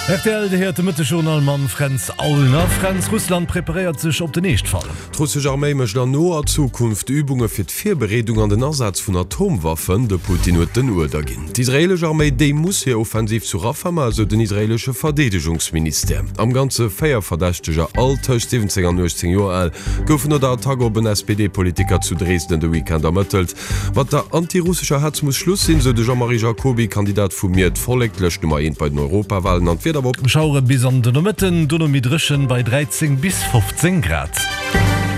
Rtl, Dir héiert de Mëttegjournal mam Fränz Aulner. Fränz, Russland preparéiert sech op den Eeschtfall. D'russesch Arméi mécht an noer Zukunft Übunge fir d'Virbereedung an den Asaz vun Atomwaffen. De Putin huet den Uerder ginn. D'israeelesch Arméi, déi muss hir Offensiv zu Rafah maachen, esou den israeelesche Verdeedegungsministère. Am Ganze 4 Verdächteger, all tëscht 17 an 18 Joer al, goufen no der Attack op en SPD-Politiker zu Dresden de Weekend ermëttelt. Mat der anti-russescher Hetz muss Schluss sinn, sou de Jean-Marie Jacoby, Kandidat vu Mir d'Vollek, d'Lëscht Nummer eent bei den Europawalen an d'Wieder op. Schauere bis an de Nomëtten, dono méi dréchen bei 13 bis 15 Grad.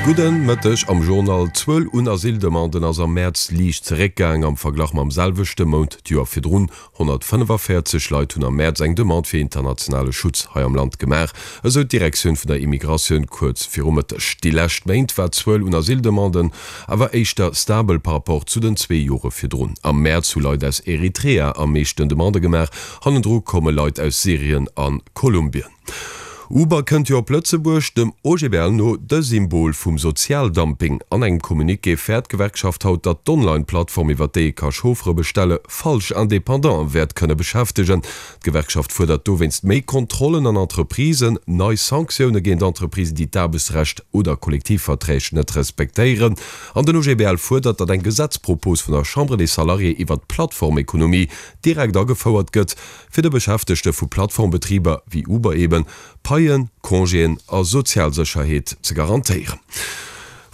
Gudden Mëtteg am Journal. D'Zuel un Asyldemanden ass am Mäerz liicht zeréckgaang am Verglach mam selwechte Mount d'Joer virdrun. 145 Leit hunn am Mäerz eng Demande fir internationale Schutz hei am Land gemaach, esou d'Direktioun vun der Immigratioun kuerz viru Mëtteg. Déi lescht Méint war d'Zuel un Asyldemanden awer éischter stabel par rapport zu den zwee Jore virdrun. Am Mäerz hu Leit aus Eritrea am meeschten Demandë gemaach, hannendru komme Leit aus Syrien a Kolumbien. Uber kënnt jo op Lëtzebuerg, dem OGBL no de Symbol vum Sozialdumping. An engem Communiqué fäert d'Gewerkschaft haut, datt d'Online-Plattform, iwwer déi ee ka Chauffere bestelle, falsch Independanten wäert kënne beschäftegen. D'Gewerkschaft fuerdert dowéinst méi Kontrollen an Entreprisen, nei Sanktioune géint Entreprisen, déi d'Aarbechtsrecht oder Kollektivverträg net respektéieren. An den OGBL fuerdert, datt eng Gesetzpropos vun der Chambre des Salariés iwwer d'Plattformekonomie direkt agefouert gëtt, fir de Beschäftegte vu Plattformbetriber, wéi Uber eben, Paien, Congéen a Sozialsécherheet ze garantéieren.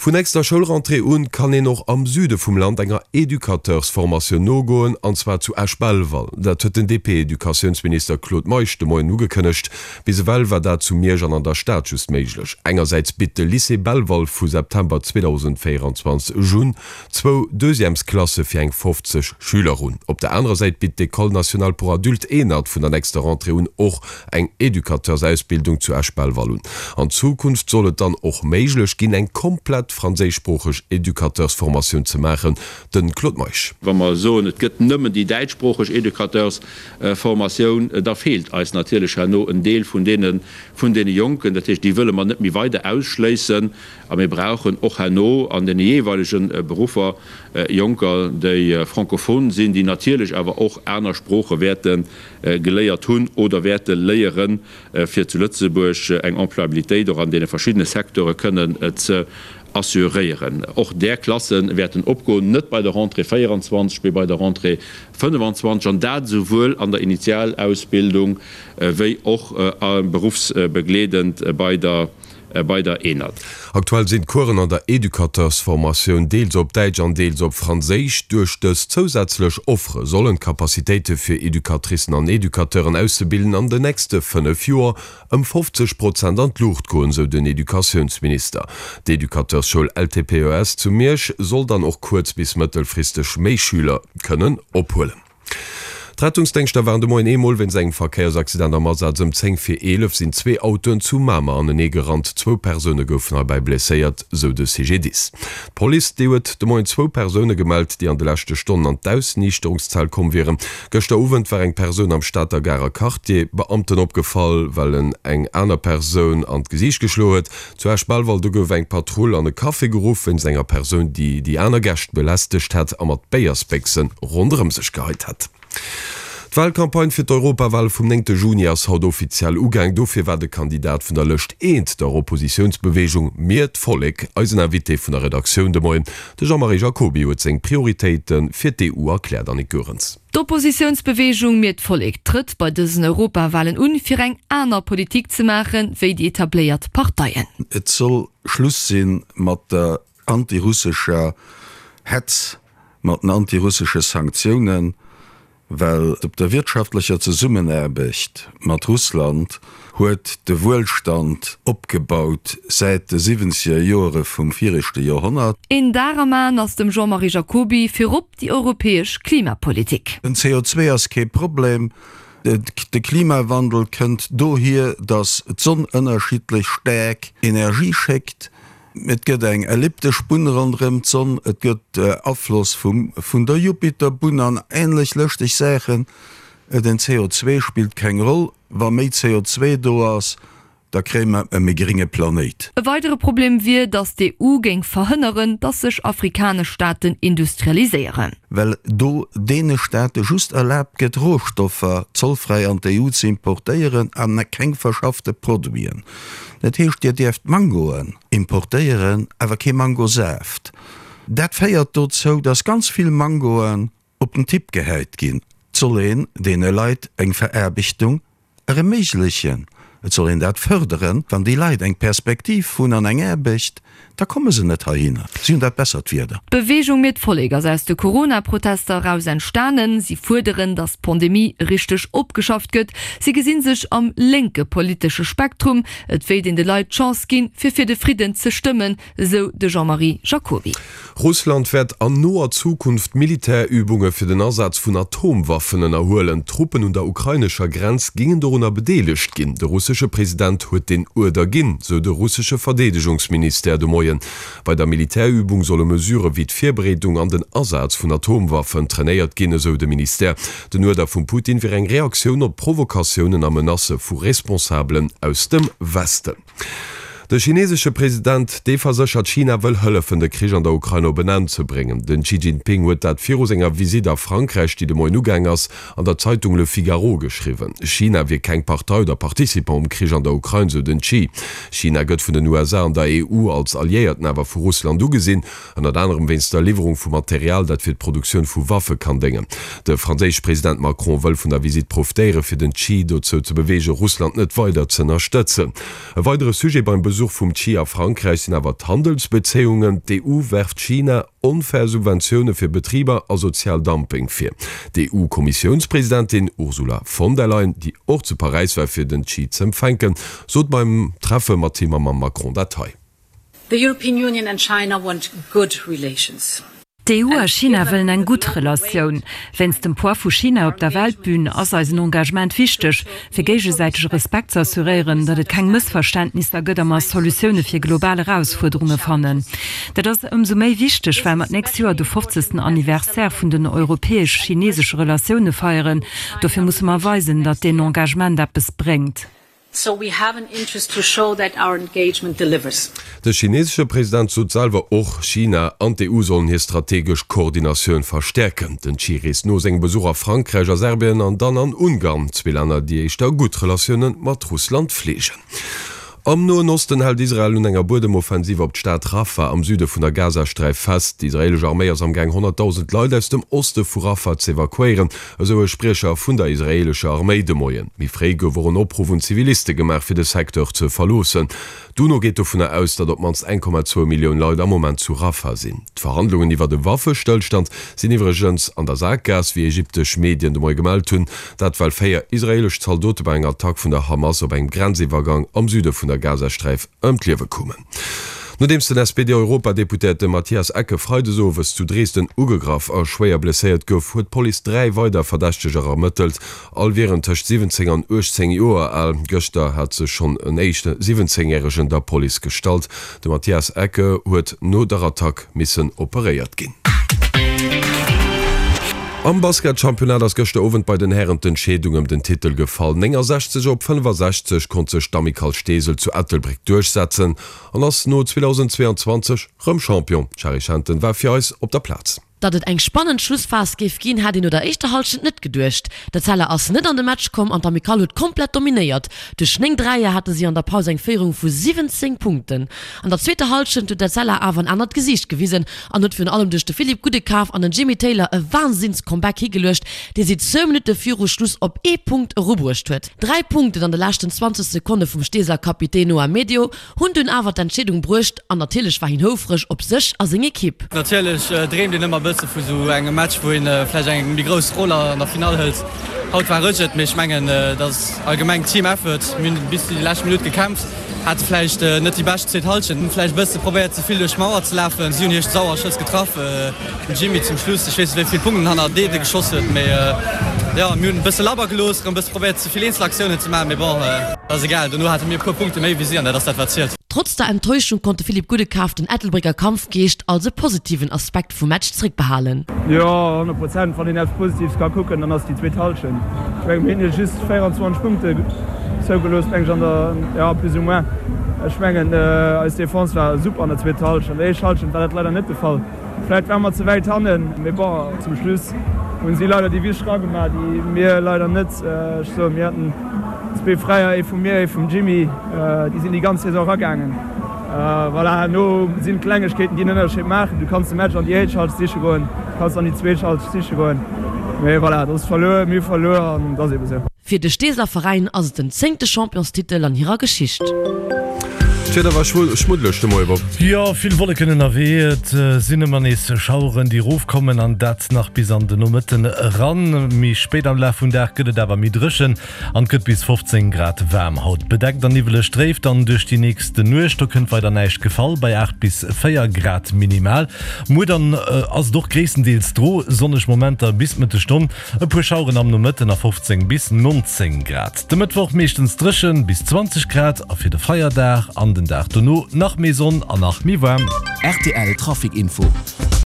Vun nächster Schoulrentrée un kann een och am Süde vum Land enger Educateursformatioun nogoen, an zwar zu Esch-Belval. Dat huet den DP-Educatiounsminister Claude Meisch de Moien ugekënnegt. Bis ewell war dat zu Miersch an an der Stad just méiglech. Engersäits bitt de Lycée Belval vu September 2024 un, zwou Deuxièmesklasse fir eng 50 Schüler un. Op der anerer Säit bitt d'École nationale pour adultes, ENAD, vun der nächster Rentrée un och eng Educateursausbildung zu Esch-Belval un. An Zukunft soll et dann och méiglech ginn, eng komplett franséischsproocheg Educateursformatioun ze maachen. De Claude Meisch. Wa mer soen, et gëtt nëmmen déi däitschsproocheg Educateursformatioun, da feelt eis natierlech herno en Deel vun deene vun deene Jonken. Dat heescht, déi wëlle mer net méi weider ausschléissen. A mir brauchen och herno an deene jeeweilege Beruffer Jonker, déi francophone sinn, déi natierlech awer och aner Sprooche wäerte geléiert hunn oder wäerte léieren, fir zu Lëtzebuerg eng Employabilitéit och an deene verschiddene Secteure kënnen ze assuréieren. Och där Klasse wäerten opgoen, net bei der Rentrée 24, mee bei der Rentrée 25, an dat esouwuel an der Initialausbildung wéi och beruffsbegleedend bei der bei der ENAD. Aktuell sinn d'Coursen an der Educateursformatioun deels op Däitsch an deels op Franséisch. Duerch dës zousätzlech Offere sollen d'Capacitéite fir Educatricen an Educateuren auszebilden an den nächste 5 Joer ëm 50 Prozent an d'Luucht goen, sou den Educatiounsminister. D'Educateursschoul LTPES zu Miersch soll dann och kuerz bis mëttelfristeg méi Schüler kënnen ophuelen. D'Rettungsdéngschter waren de Moien eemol wéinst engem Verkéiersaccident am Asaz. Ëm 10 vir 11 sinn zwee Autoen zu Mamer anenee gerannt. Zwou Persoune goufen heibäi blesséiert, sou de CGDIS. D'Police, déi huet de Moien zwou Persoune gemellt, déi an de leschte Stonnen an d'Ausniichterungszell komm wieren. Gëschter Owend war eng Persoun am Stater Garer Quartier Beamten opgefall, well en eng aner Persoun an d'Gesiicht geschloe huet. Zu Esch-Belval, do gouf eng Patrull an e Café geruff wéinst enger Persoun, déi déi aner Gäscht belästegt hätt a mat Béiersbéchse ronderëm sech geheit hätt. D'Walcampagne fir d'Europawale vum néngte Juni ass haut offiziell ugaang. Dofir war de Kandidat vun der Lëscht Eent, der Oppositiounsbeweegung Mir d'Vollek, eisen Invité vun der Redaktioun de Moien. De Jean-Marie Jacoby huet seng Prioritéite fir d'EU erkläert. Annick Goerens. D'Oppositiounsbeweegung Mir d'Vollek trëtt bei dësen Europawalen un, fir eng aner Politik ze maachen, wéi déi etabléiert Parteien. Et soll Schluss si mat der antirussescher Hetz, mat den antirussesche Sanktiounen, well op der wirtschaftlecher Zesummenaarbecht mat Russland huet de Wuelstand opgebaut säit de siwwenzeger Joere vum viregte Joerhonnert. Een Dar am Aen ass dem Jean-Marie Jacoby virop déi europäesch Klimapolitik. Den CO2 ass kee Problem. De Klimawandel kënnt dohier, datt d'Sonn ënnerschiddlech staark Energie schéckt. Et gëtt eng elliptesch Bunn ronderëm d'Sonn, et gëtt Afloss vun der Jupiterbunn an änlech lëschteg Saachen. Den CO2 spillt keng Roll. Wa méi CO2 do ass. Da kréie mer e méi grénge Planéit. E weidere Problem wier, datt d'EU géing verhënneren, datt sech afrikanesch Staaten industrialiséieren. Well do deene Staate just erlaabt gëtt, Rohstoffer zollfräi an d'EU ze importéieren a keng verschaffte Produiten. Dat heescht, Dir dierft Mangoen importéieren, awer kee Mangosaaft. Dat féiert dozou, datt ganz vill Mangoen op den Tipp gehäit ginn. Et soll een deene Leit eng Veraarbechtung ereméiglechen, et soll een dat fërderen. Wann déi Leit eng Perspektiv hunn an eng Aarbecht, da komme se net heihinner. Si hunn dat bessert Wieder. D'Beweegung Mir d'Vollek ass aus de Corona-Protester eraus entstanen. Si fuerderen, datt d'Pandemie richteg opgeschafft gëtt. Si gesinn sech am lénke politesche Spektrum. Et wéilt een de Leit d'Chance ginn, fir fir de Fridden ze stëmmen, esou de Jean-Marie Jacoby. Russland wäert an noer Zukunft Militärübunge fir den Asaz vun Atomwaffen ënnerhuelen. Truppen un der ukrainescher Grenz gingen dorunner bedeelegt ginn. De russesche President huet deen Uerder ginn, sou de russesche Verdeedegungsministère de Moien. Bei der Militärübung solle Mesurë wéi d'Virbereedung an den Asaz vun Atomwaffen trainéiert ginn, esou de Ministère. Den Uerder vum Putin wier eng Reaktioun op Provokatiounen a Menacë vu Responsabelen aus dem Westen. De chinesesche President, dee verséchert, China wëll hëllefen, de Krich an der Ukrain op en Enn ze bréngen. Den Xi Jinping huet dat viru senger Visitt a Frankräich, déi de Moien ugaang ass, an der Zeitung Le Figaro geschriwwen. China wier keng Partei oder Participant um Krich an der Ukrain, sou den Xi. China gëtt vun den USA an der EU als Alliéierten awer vu Russland ugesinn. Ënnert anerem wéinst der Liwwerung vu Material, dat fir d'Produktioun vu Waffe kann déngen. De franséische President Macron wëll vun der Visitt profitéieren, fir den Xi dozou ze beweegen, Russland net weider z'ënnerstëtzen. E weidere Sujet beim Besuch vum Xi a Frankräich sinn awer d'Handelsbezéiungen. D'EU werft China onfair Subventioune fir Betriber a sozial Dumping vir. D'EU-Kommissiounspresidentin Ursula von der Leyen, déi och zu Paräis war fir den Xi z'empfänken, sot beim Treffe mat him a mam Macron dat hei. The European Union and China want good relations. D'EU a China wëllen eng gutt Relatioun. Wéinst dem Poids vu China op der Weltbün ass eisen Engagement wichteg, fir géigesäitege Respekt ze assuréieren, datt et keng Mëssverständnisser gëtt a mer Solutioune fir global Erausfuerderunge fannen. Dat ass ëmsou méi wichteg, well mer d'nächst Joer de fofzegsten Anniversaire vun den europäesch-chinesesche Relatioune feieren. Dofir musse mer weisen, datt deen Engagement eppes bréngt. So we have an interest to show that our engagement delivers. De chinesesche President sot selwer och, China an d'EU sollen hir strategesch Koordinatioun verstäerken. Den Xi reest no sengem Besuch a Frankräich a Serbien an dann an Ungarn, zwee Länner, déi éischter gutt Relatioune mat Russland fleegen. Am Noen Osten hält Israel un enger Buedemoffensiv op d'Stad Rafah am Süde vun der Gazasträif fest. Déi israeelesch Arméi ass am Gaang 100.000 Leit aus dem Oste vu Rafah z'evakuéieren. Esou e Spriecher vun der israeelescher Arméi de Moien. Méi fréi gouf och en Opruff un Ziviliste gemaach, fir de Secteur ze verloossen. D'UNO geet dovunner aus, datt op d'mannst 1,2 Millioun Leit am Moment zu Rafah sinn. D'Verhandlungen iwwert e Waffestëllstand sinn iwwregens an der Sakgaass, wéi ägyptesch Medien de Moie gemellt hunn. Dat well 4 israeelesch Zaldote bei enger Attack vun der Hamas op engem Grenziwwergang am Süde vun der Gazasträif ëm d'Liewe koumen. Nodeems den SPD-Europadeputéierte Matthias Ecke freides owes zu Dresden ugegraff a schwéier blesséiert gouf, huet d'Police 3 weider Verdächteger ermëttelt. All wieren tëscht 17 an 18 Joer al. Gëschter hat sech schonn en éischte 17 Järegen der Police gestallt. De Matthias Ecke huet no der Attack missen operéiert ginn. Am Basketchampionnat ass gëschter Owend bei den Hären d'Entscheedung ëm den Titel gefall. 69 op 65 konnt sech d'Amicale Steesel zu Ettelbréck duerchsetzen an ass no 2022 rëm Champion. D'Shari Schenten war fir eis op der Plaz. Datt et eng spannend Schlussphas géif ginn, hat een no der éischter Hallschent net geduecht. D'Etzella ass net an de Match komm an d'Amicale huet komplett dominéiert. Duerch 9 Dräier hate si an der Paus eng Féierung vu 17 Punkten. An der zweeter Hallschent huet d'Etzella awer en anert Gesiicht gewisen an huet virun allem duerch de Philippe Goudekaf an den Jimmy Taylor e Wahnsinns-Comeback higeluecht, dee si zwou Minutte viru Schluss op ee Punkt erubruecht huet. Dräi Punkten an de leschten 20 Sekonne vum Steeseler Kapitän Noah Medio hunn dunn awer d'Entscheedung bruecht an natierlech war hien houfreg op sech a seng Ekipp. Natierlech dreemt een ëmmer e bësse vu sou engem Match, wou een vläicht eng méi grouss Roll an der Finall hëlt. Haut war ech et, mee ech mengen, et ass allgemeng Team Effort. Mir hunn bis déi lescht Minutt gekämpft, hate vläicht net déi bescht zweet Hallschent, hunn vläicht e bësse probéiert ze vill duerch d'Mauer ze lafen. Si hunn hir sauer Schëss getraff, den Jimmy zum Schluss, ech weess net wéi vill Punkten en hanner Deede geschoss huet, mee jo, mir hunn e bësse labber gelooss, erëm e bësse probéiert ze vill Eenzelaktiounen ze maachen, mee bon, ass egal, dono hate mir e puer Punkte méi wéi si an dat ass dat wat zielt. Trotz der Enttäuschung konnt de Philippe Goudekaf den Ettelbrécker Kampfgeescht als e positiven Aspekt vum Match zréckbehalen. Jo, 100 Prozent. Wann een eppes Positives ka kucken, dann ass déi zweet Hallschent. Ech mengen, mir hunn jo just 24 Punkte. zougelooss, meng ech, an der, jo, plus ou moins. Ech mengen, eis Defense war super an der zweeter Hallschent. An der éischter Hallschent war dat leider net de Fall. Vläit ware mer ze wäit hannen, mee bon, zum Schluss hunn si leider déi wichteg ragemaach, déi mir leider net. Ech soen, mir haten zwee Fräier, ee vu mir, ee vum Jimmy, déi sinn déi ganz Saison eragaangen. Voilà, herno sinn d'Klengegkeeten, déi den Ënnerscheed maachen. Du kanns de Match an déi éischt Halschent siche goen, du kanns an déi zweet Halschent siche goen, mee voilà, et ass verluer, mir hu verluer an et ass ebe sou. Fir de Steeseler Veräin ass et den zéngte Championstitel an hirer Geschicht. D'Wieder war schmuddeleg de Moie, Bob. Jo, vill Wolleken ënnerwee, et sinn ëmmer nees Schaueren, déi erofkommen an dat nach bis an de Nomëtten eran. Méi spéit am Laf vum Dag gëtt et awer méi dréchen an et gëtt bis 15 Grad waarm. Haut bedeckt an niwweleg dréif dann duerch déi nächst Nuecht, do kënnt weider näischt gefall bei 8 bis 4 Grad minimal. Muer dann ass et och gréisstendeels dro, sonneg Momenter bis d'Mëttesstonn. E puer Schaueren am Nomëtten a 15 bis 19 Grad. De Mëttwoch meeschtens dréchen, bis 20 Grad a fir de Feierdag an den Dag dono nach méi Sonn an nach méi waarm. Rtl Trafic Info.